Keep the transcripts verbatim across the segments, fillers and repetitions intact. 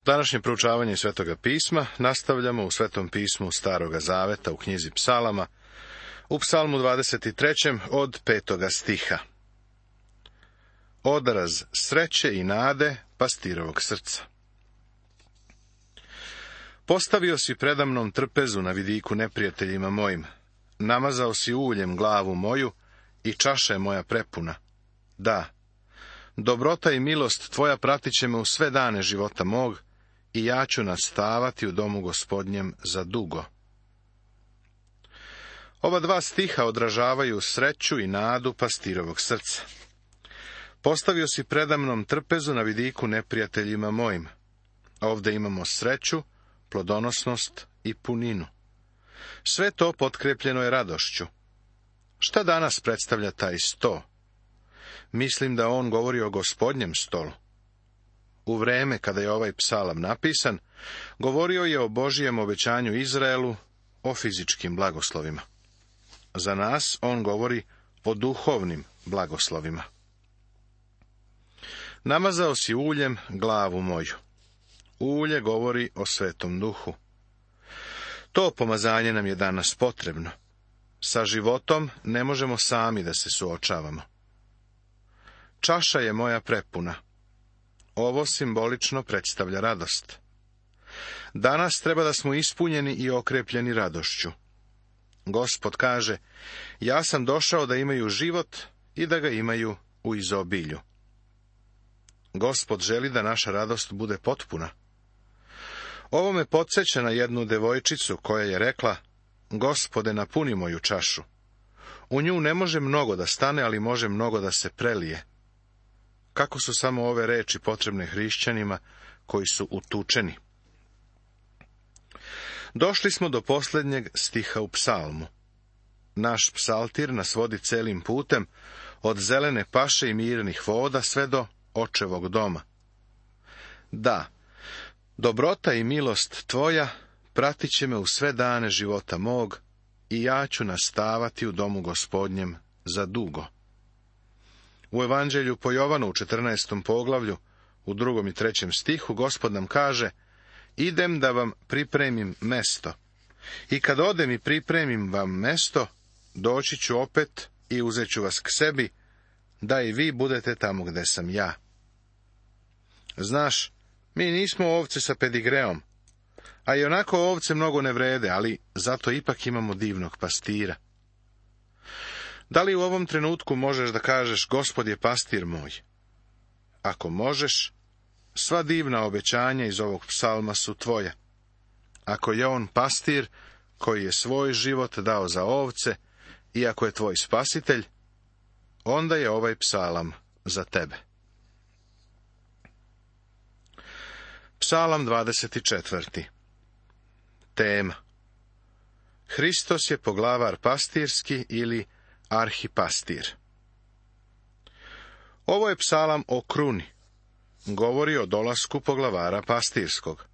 Današnje proučavanje Svetoga pisma nastavljamo u Svetom pismu Staroga zaveta u knjizi Psalama, u Psalmu dvadeset trećem od petoga stiha. Odraz sreće i nade pastirovog srca. Postavio si predamnom trpezu na vidiku neprijateljima mojim, namazao si uljem glavu moju i čaša je moja prepuna. Da, dobrota i milost tvoja pratit će me u sve dane života mog, i ja ću nastavati u domu Gospodnjem za dugo. Ova dva stiha odražavaju sreću i nadu pastirovog srca. Postavio si predamnom trpezu na vidiku neprijateljima mojim. Ovde imamo sreću, plodonosnost i puninu. Sve to potkrepljeno je radošću. Šta danas predstavlja taj sto? Mislim da on govori o Gospodnjem stolu. U vreme kada je ovaj psalam napisan, govorio je o Božijem obećanju Izraelu, o fizičkim blagoslovima. Za nas on govori o duhovnim blagoslovima. Namazao si uljem glavu moju. Ulje govori o Svetom Duhu. To pomazanje nam je danas potrebno. Sa životom ne možemo sami da se suočavamo. Čaša je moja prepuna. Ovo simbolično predstavlja radost. Danas treba da smo ispunjeni i okrepljeni radošću. Gospod kaže, ja sam došao da imaju život i da ga imaju u izobilju. Gospod želi da naša radost bude potpuna. Ovo me podsjeća na jednu devojčicu koja je rekla, Gospode, napuni moju čašu. U nju ne može mnogo da stane, ali može mnogo da se prelije. Kako su samo ove reči potrebne hrišćanima koji su utučeni. Došli smo do posljednjeg stiha u psalmu. Naš psaltir nas vodi celim putem, od zelene paše i mirnih voda sve do očevog doma. Da, dobrota i milost tvoja pratit će me u sve dane života mog, i ja ću nastavati u domu Gospodnjem za dugo. U Evanđelju po Jovanu u četrnaestom poglavlju, u drugom i trećem stihu, Gospod nam kaže, idem da vam pripremim mesto. I kad odem i pripremim vam mesto, doći ću opet i uzet ću vas k sebi, da i vi budete tamo gde sam ja. Znaš, mi nismo ovce sa pedigreom, a i onako ovce mnogo ne vrede, ali zato ipak imamo divnog pastira. Da li u ovom trenutku možeš da kažeš, Gospod je pastir moj? Ako možeš, sva divna obećanja iz ovog psalma su tvoja. Ako je on pastir koji je svoj život dao za ovce, i ako je tvoj spasitelj, onda je ovaj psalam za tebe. Psalam dvadeset četvrti. Tema. Hristos je poglavar pastirski ili arhipastir. Ovo je psalam o kruni. Govori o dolasku poglavara pastirskog.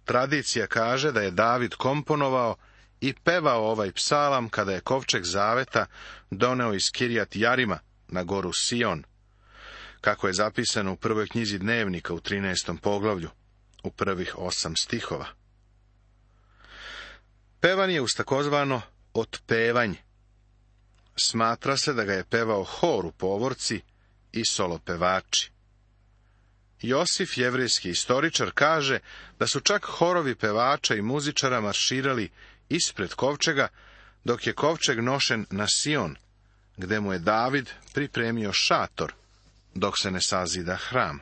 Tradicija kaže da je David komponovao i pevao ovaj psalam kada je kovčeg zaveta doneo iz Kirjat Jarima na goru Sion, kako je zapisano u prvoj knjizi Dnevnika u trinaestom poglavlju, u prvih osam stihova. Pevan je uz takozvano otpevanje. Smatra se da ga je pevao hor u povorci i solopevači. Josif, jevrejski istoričar, kaže da su čak horovi pevača i muzičara marširali ispred kovčega, dok je kovčeg nošen na Sion, gde mu je David pripremio šator, dok se ne sazida hram.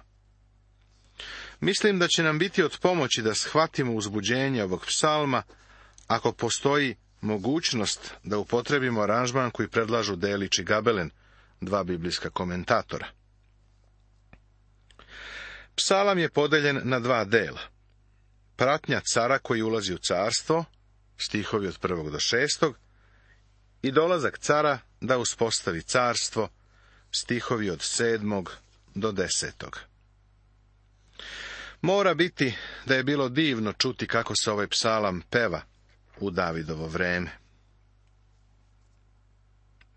Mislim da će nam biti od pomoći da shvatimo uzbuđenje ovog psalma, ako postoji mogućnost da upotrebimo aranžman koji predlažu Delić i Gabelen, dva biblijska komentatora. Psalam je podeljen na dva dela. Pratnja cara koji ulazi u carstvo, stihovi od prvog do šestog, i dolazak cara da uspostavi carstvo, stihovi od sedmog do desetog. Mora biti da je bilo divno čuti kako se ovaj psalam peva u Davidovo vreme.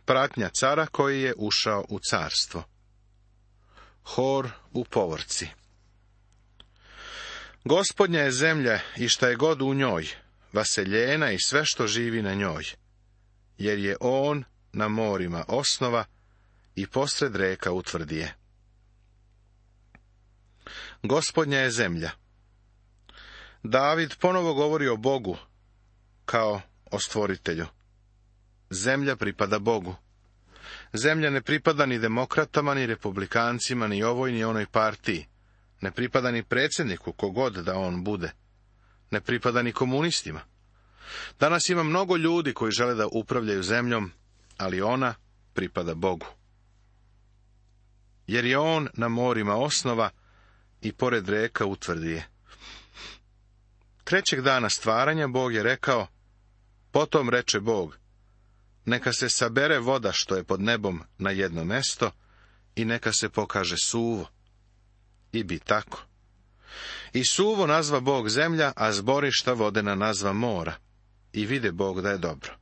Pratnja cara koji je ušao u carstvo. Hor u povorci. Gospodnja je zemlja i šta je god u njoj, vaseljena i sve što živi na njoj, jer je on na morima osnova i posred reka utvrdi je. Gospodnja je zemlja. David ponovo govori o Bogu kao o stvoritelju. Zemlja pripada Bogu. Zemlja ne pripada ni demokratama, ni republikancima, ni ovoj, ni onoj partiji. Ne pripada ni predsjedniku, kogod da on bude. Ne pripada ni komunistima. Danas ima mnogo ljudi koji žele da upravljaju zemljom, ali ona pripada Bogu. Jer je on na morima osnova i pored reka utvrdi je. Trećeg dana stvaranja Bog je rekao, potom reče Bog, neka se sabere voda što je pod nebom na jedno mesto i neka se pokaže suvo. I bi tako. I suvo nazva Bog zemlja, a zborišta vodena nazva mora. I vide Bog da je dobro.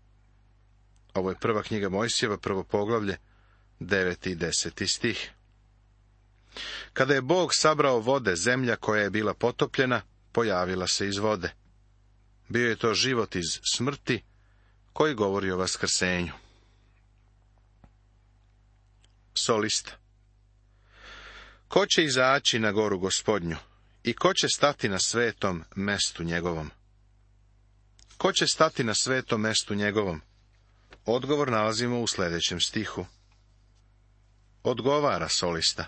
Ovo je prva knjiga Mojsijeva, prvo poglavlje, deveti i deseti stih. Kada je Bog sabrao vode, zemlja koja je bila potopljena, pojavila se iz vode. Bio je to život iz smrti, koji govori o vaskrsenju. Solista. Ko će izaći na goru Gospodnju i ko će stati na svetom mestu njegovom? Ko će stati na svetom mestu njegovom? Odgovor nalazimo u sljedećem stihu. Odgovara solista.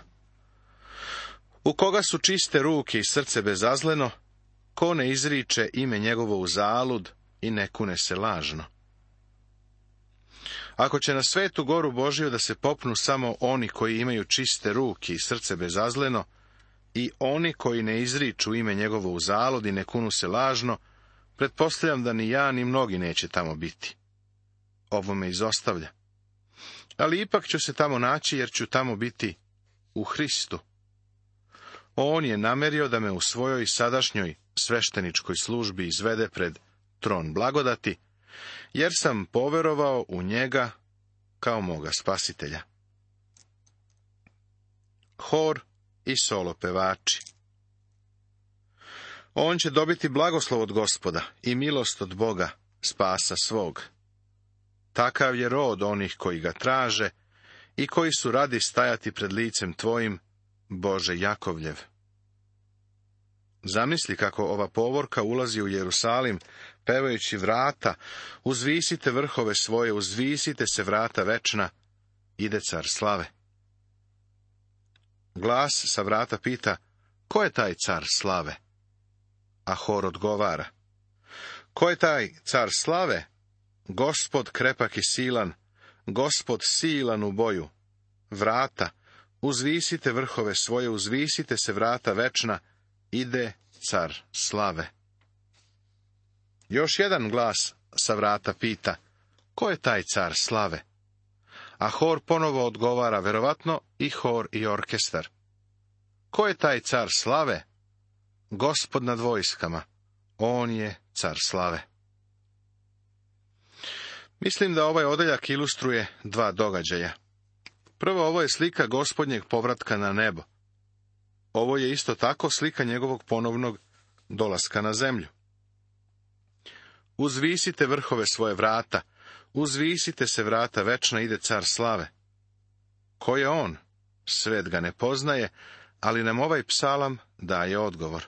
U koga su čiste ruke i srce bezazleno, ko ne izriče ime njegovo u zalud i ne kune se lažno. Ako će na svetu goru Božiju da se popnu samo oni koji imaju čiste ruke i srce bezazleno, i oni koji ne izriču ime njegovo u zalud i ne kunu se lažno, pretpostavljam da ni ja ni mnogi neće tamo biti. Ovo me izostavlja. Ali ipak ću se tamo naći, jer ću tamo biti u Hristu. On je namerio da me u svojoj sadašnjoj svešteničkoj službi izvede pred tron blagodati, jer sam poverovao u njega kao moga spasitelja. Hor i solo pevači. On će dobiti blagoslov od Gospoda i milost od Boga, spasa svog. Takav je rod onih koji ga traže i koji su radi stajati pred licem tvojim, Bože Jakovljev. Zamisli kako ova povorka ulazi u Jerusalim, pevajući vrata, uzvisite vrhove svoje, uzvisite se vrata večna, ide car slave. Glas sa vrata pita, ko je taj car slave? A hor odgovara, ko je taj car slave? Gospod krepak i silan, Gospod silan u boju. Vrata, uzvisite vrhove svoje, uzvisite se vrata večna, ide car slave. Još jedan glas sa vrata pita, ko je taj car slave? A hor ponovo odgovara, verovatno i hor i orkestar. Ko je taj car slave? Gospod nad vojskama, on je car slave. Mislim da ovaj odeljak ilustruje dva događaja. Prvo, ovo je slika Gospodnjeg povratka na nebo. Ovo je isto tako slika njegovog ponovnog dolaska na zemlju. Uzvisite vrhove svoje vrata, uzvisite se vrata večna, ide car slave. Ko je on? Svet ga ne poznaje, ali nam ovaj psalam daje odgovor.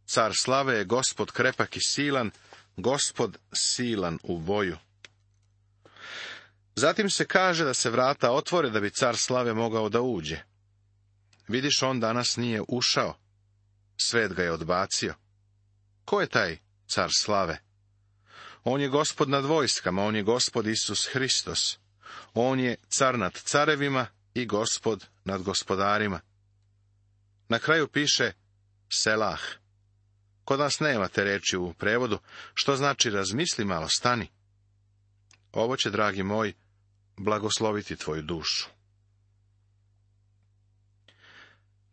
Car slave je Gospod krepak i silan, Gospod silan u boju. Zatim se kaže da se vrata otvore da bi car slave mogao da uđe. Vidiš, on danas nije ušao. Svet ga je odbacio. Ko je taj car slave? On je Gospod nad vojskama, on je Gospod Isus Hristos. On je car nad carevima i Gospod nad gospodarima. Na kraju piše Selah. Kod nas nema te reči u prevodu, što znači razmisli malo, stani. Ovo će, dragi moj, blagosloviti tvoju dušu.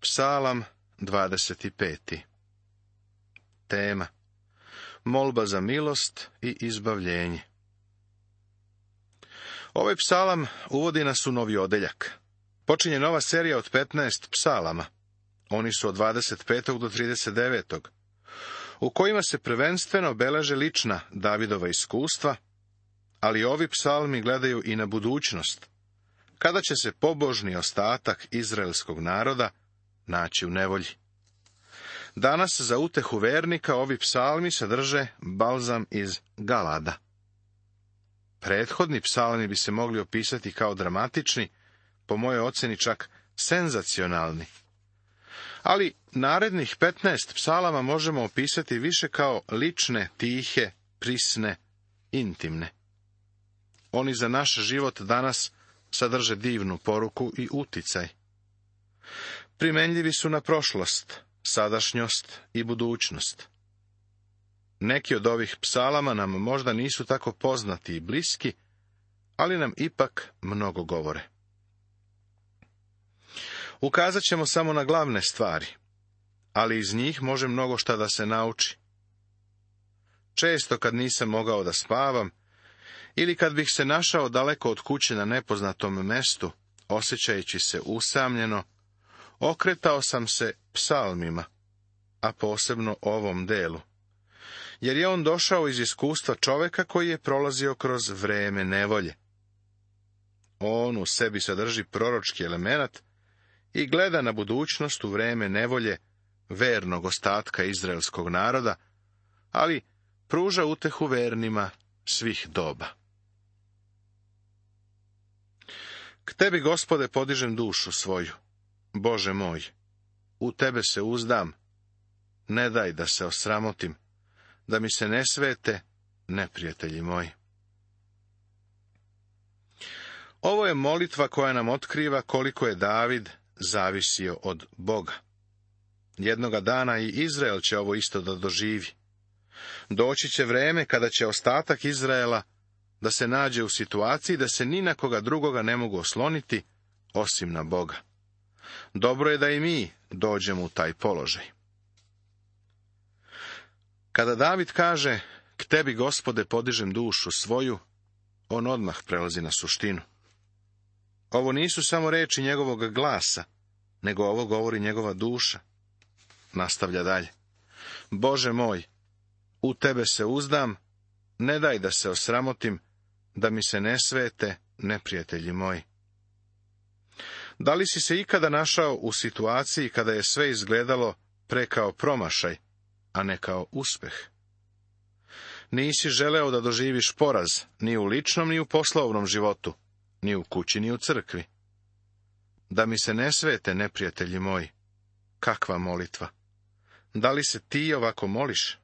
Psalam dvadeset pet. Tema: molba za milost i izbavljenje. Ovaj psalam uvodi nas u novi odeljak. Počinje nova serija od petnaest psalama. Oni su od dvadeset petog do trideset devetog u kojima se prvenstveno beleže lična Davidova iskustva, ali ovi psalmi gledaju i na budućnost, kada će se pobožni ostatak izraelskog naroda naći u nevolji. Danas za utehu vernika ovi psalmi sadrže balzam iz Galada. Prethodni psalmi bi se mogli opisati kao dramatični, po mojoj ocjeni čak senzacionalni. Ali narednih petnaest psalama možemo opisati više kao lične, tihe, prisne, intimne. Oni za naš život danas sadrže divnu poruku i uticaj. Primenljivi su na prošlost, sadašnjost i budućnost. Neki od ovih psalama nam možda nisu tako poznati i bliski, ali nam ipak mnogo govore. Ukazat ćemo samo na glavne stvari, ali iz njih može mnogo šta da se nauči. Često kad nisam mogao da spavam, ili kad bih se našao daleko od kuće na nepoznatom mestu, osjećajući se usamljeno, okretao sam se psalmima, a posebno ovom delu, jer je on došao iz iskustva čoveka koji je prolazio kroz vreme nevolje. On u sebi sadrži proročki element i gleda na budućnost u vreme nevolje vernog ostatka izraelskog naroda, ali pruža utehu vernima svih doba. K tebi, Gospode, podižem dušu svoju, Bože moj, u tebe se uzdam, ne daj da se osramotim, da mi se ne svete neprijatelji moji. Ovo je molitva koja nam otkriva koliko je David zavisio od Boga. Jednoga dana i Izrael će ovo isto da doživi. Doći će vreme kada će ostatak Izraela da se nađe u situaciji da se ni na koga drugoga ne mogu osloniti, osim na Boga. Dobro je da i mi dođemo u taj položaj. Kada David kaže, k tebi, Gospode, podižem dušu svoju, on odmah prelazi na suštinu. Ovo nisu samo reči njegovog glasa, nego ovo govori njegova duša. Nastavlja dalje. Bože moj, u tebe se uzdam, ne daj da se osramotim, da mi se ne svete neprijatelji moji. Da li si se ikada našao u situaciji kada je sve izgledalo pre kao promašaj, a ne kao uspeh? Nisi želeo da doživiš poraz ni u ličnom ni u poslovnom životu, ni u kući ni u crkvi. Da mi se ne svete neprijatelji moji. Kakva molitva! Da li se ti ovako moliš?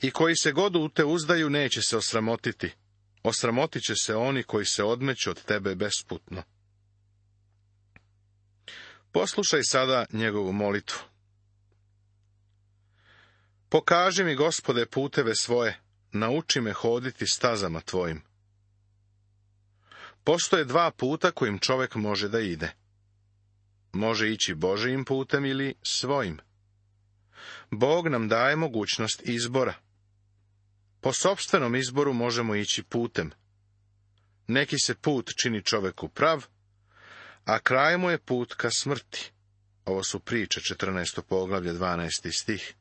I koji se god u te uzdaju neće se osramotiti. Osramotit će se oni koji se odmeću od tebe besputno. Poslušaj sada njegovu molitvu. Pokaži mi, Gospode, puteve svoje, nauči me hoditi stazama tvojim. Postoje dva puta kojim čovjek može da ide. Može ići Božijim putem ili svojim. Bog nam daje mogućnost izbora. Po sopstvenom izboru možemo ići putem. Neki se put čini čoveku prav, a kraj mu je put ka smrti. Ovo su priče, četrnaesto poglavlje, dvanaesti stih.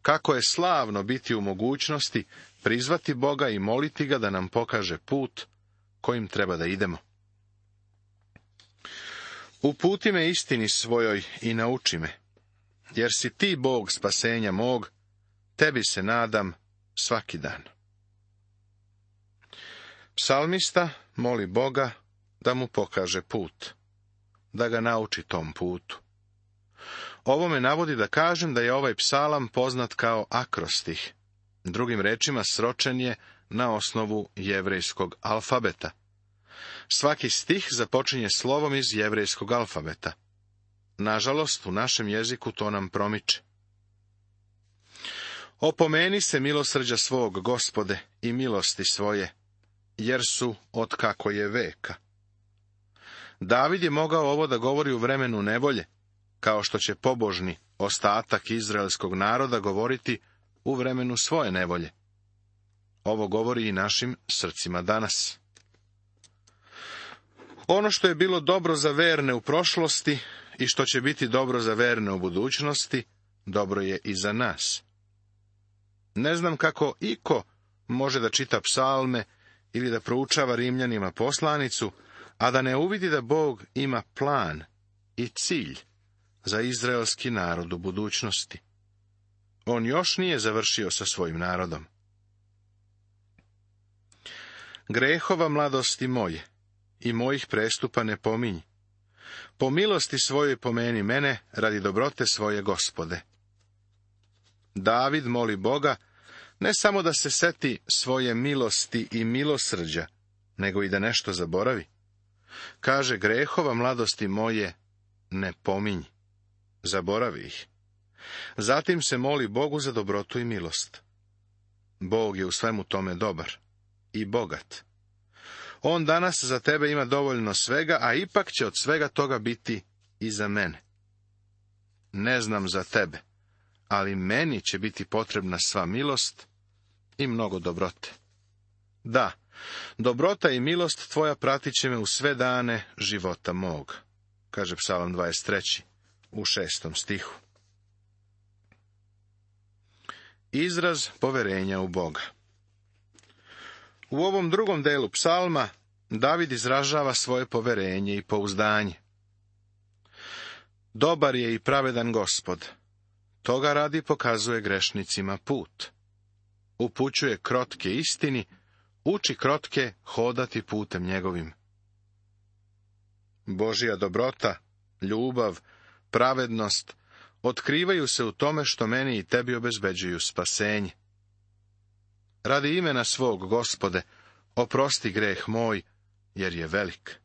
Kako je slavno biti u mogućnosti prizvati Boga i moliti ga da nam pokaže put kojim treba da idemo. Uputi me istini svojoj i nauči me, jer si ti Bog spasenja mog, tebi se nadam svaki dan. Psalmista moli Boga da mu pokaže put, da ga nauči tom putu. Ovo me navodi da kažem da je ovaj psalam poznat kao akrostih. Drugim rečima, sročen je na osnovu jevrejskog alfabeta. Svaki stih započinje slovom iz jevrejskog alfabeta. Nažalost, u našem jeziku to nam promiče. Opomeni se milosrđa svog, Gospode, i milosti svoje, jer su od kako je veka. David je mogao ovo da govori u vremenu nevolje, kao što će pobožni ostatak izraelskog naroda govoriti u vremenu svoje nevolje. Ovo govori i našim srcima danas. Ono što je bilo dobro za verne u prošlosti i što će biti dobro za verne u budućnosti, dobro je i za nas. Ne znam kako iko može da čita psalme ili da proučava Rimljanima poslanicu, a da ne uvidi da Bog ima plan i cilj za izraelski narod u budućnosti. On još nije završio sa svojim narodom. Grehova mladosti moje i mojih prestupa ne pominji. Po milosti svojoj pomeni mene radi dobrote svoje Gospode. David moli Boga ne samo da se seti svoje milosti i milosrđa, nego i da nešto zaboravi. Kaže, grehova mladosti moje ne pominji. Zaboravi ih. Zatim se moli Bogu za dobrotu i milost. Bog je u svemu tome dobar i bogat. On danas za tebe ima dovoljno svega, a ipak će od svega toga biti i za mene. Ne znam za tebe, ali meni će biti potrebna sva milost i mnogo dobrote. Da, dobrota i milost tvoja pratit će me u sve dane života mog, kaže Psalam dvadeset treći u šestom stihu. Izraz poverenja u Boga. U ovom drugom delu psalma David izražava svoje poverenje i pouzdanje. Dobar je i pravedan Gospod. Toga radi pokazuje grešnicima put. Upućuje krotke istini, uči krotke hodati putem njegovim. Božja dobrota, ljubav, pravednost otkrivaju se u tome što meni i tebi obezbeđuju spasenje. Radi imena svog, Gospode, oprosti greh moj, jer je velik.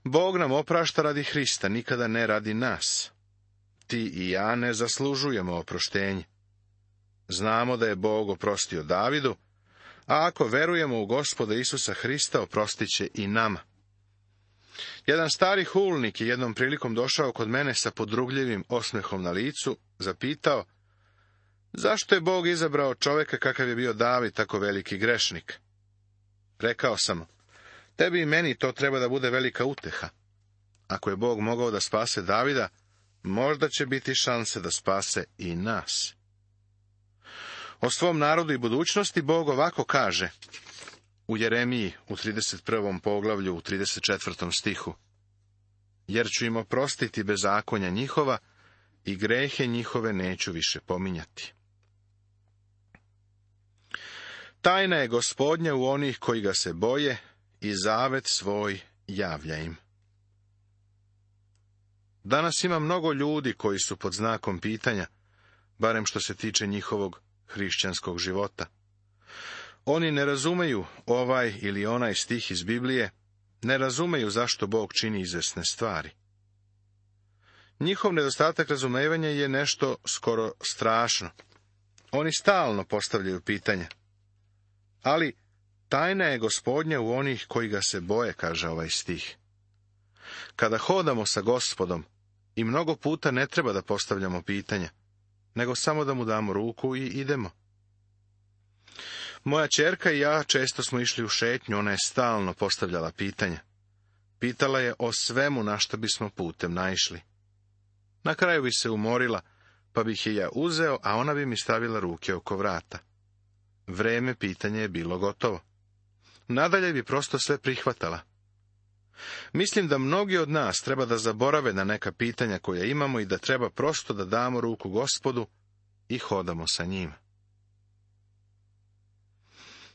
Bog nam oprašta radi Hrista, nikada ne radi nas. Ti i ja ne zaslužujemo oproštenje. Znamo da je Bog oprostio Davidu, a ako verujemo u Gospoda Isusa Hrista, oprostit će i nama. Jedan stari hulnik je jednom prilikom došao kod mene sa podrugljivim osmehom na licu, zapitao, zašto je Bog izabrao čoveka kakav je bio David, tako veliki grešnik? Rekao sam, tebi i meni to treba da bude velika uteha. Ako je Bog mogao da spase Davida, možda će biti šanse da spase i nas. O svom narodu i budućnosti Bog ovako kaže u Jeremiji u trideset prvom poglavlju u trideset četvrtom stihu. Jer ću im oprostiti bezakonja njihova i grehe njihove neću više pominjati. Tajna je Gospodnja u onih koji ga se boje i zavet svoj javlja im. Danas ima mnogo ljudi koji su pod znakom pitanja, barem što se tiče njihovog hrišćanskog života. Oni ne razumeju ovaj ili onaj stih iz Biblije, ne razumeju zašto Bog čini izvesne stvari. Njihov nedostatak razumevanja je nešto skoro strašno. Oni stalno postavljaju pitanja. Ali tajna je Gospodnja u onih koji ga se boje, kaže ovaj stih. Kada hodamo sa Gospodom, i mnogo puta ne treba da postavljamo pitanja, nego samo da mu damo ruku i idemo. Moja ćerka i ja često smo išli u šetnju, ona je stalno postavljala pitanja. Pitala je o svemu na što bismo putem naišli. Na kraju bi se umorila, pa bih je ja uzeo, a ona bi mi stavila ruke oko vrata. Vreme pitanja je bilo gotovo. Nadalje bi prosto sve prihvatala. Mislim da mnogi od nas treba da zaborave na neka pitanja koja imamo i da treba prosto da damo ruku Gospodu i hodamo sa njim.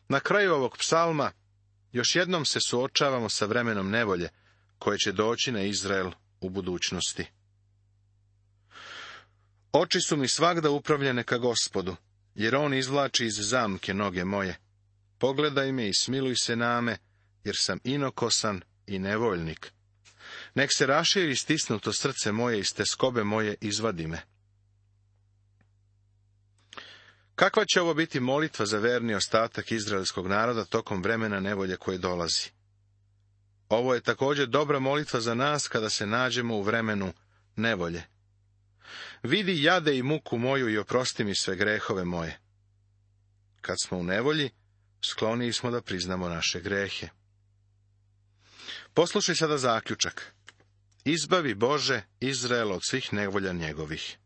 Na kraju ovog psalma još jednom se suočavamo sa vremenom nevolje koje će doći na Izrael u budućnosti. Oči su mi svagda upravljene ka Gospodu, jer on izvlači iz zamke noge moje. Pogledaj me i smiluj se name, jer sam inokosan i nevoljnik. Nek se raširi stisnuto srce moje i s teskobe moje izvadi me. Kakva će ovo biti molitva za verni ostatak izraelskog naroda tokom vremena nevolje koje dolazi? Ovo je također dobra molitva za nas kada se nađemo u vremenu nevolje. Vidi jade i muku moju i oprosti mi sve grehove moje. Kad smo u nevolji, skloniji smo da priznamo naše grehe. Poslušaj sada zaključak. Izbavi Bože Izrael od svih nevolja njegovih.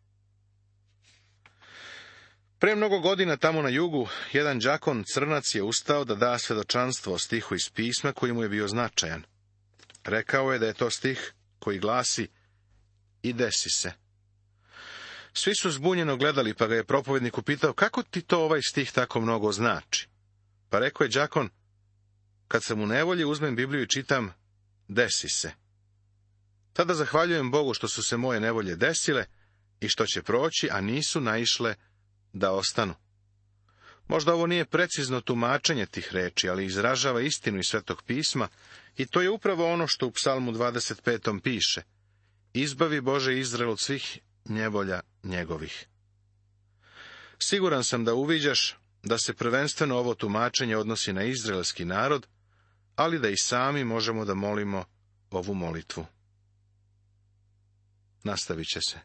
Pre mnogo godina tamo na jugu, jedan đakon crnac je ustao da da svedočanstvo o stihu iz pisma koji mu je bio značajan. Rekao je da je to stih koji glasi: "I desi se." Svi su zbunjeno gledali, pa ga je propovednik upitao: "Kako ti to ovaj stih tako mnogo znači?" Pa rekao je đakon: "Kad sam u nevolji, uzmem Bibliju i čitam: desi se. Tada zahvaljujem Bogu što su se moje nevolje desile i što će proći, a nisu naišle da ostanu." Možda ovo nije precizno tumačenje tih reči, ali izražava istinu iz Svetog pisma, i to je upravo ono što u Psalmu dvadeset petom piše: "Izbavi Bože Izrael od svih nevolja njegovih." Siguran sam da uviđaš da se prvenstveno ovo tumačenje odnosi na izraelski narod, ali da i sami možemo da molimo ovu molitvu. Nastavit će se.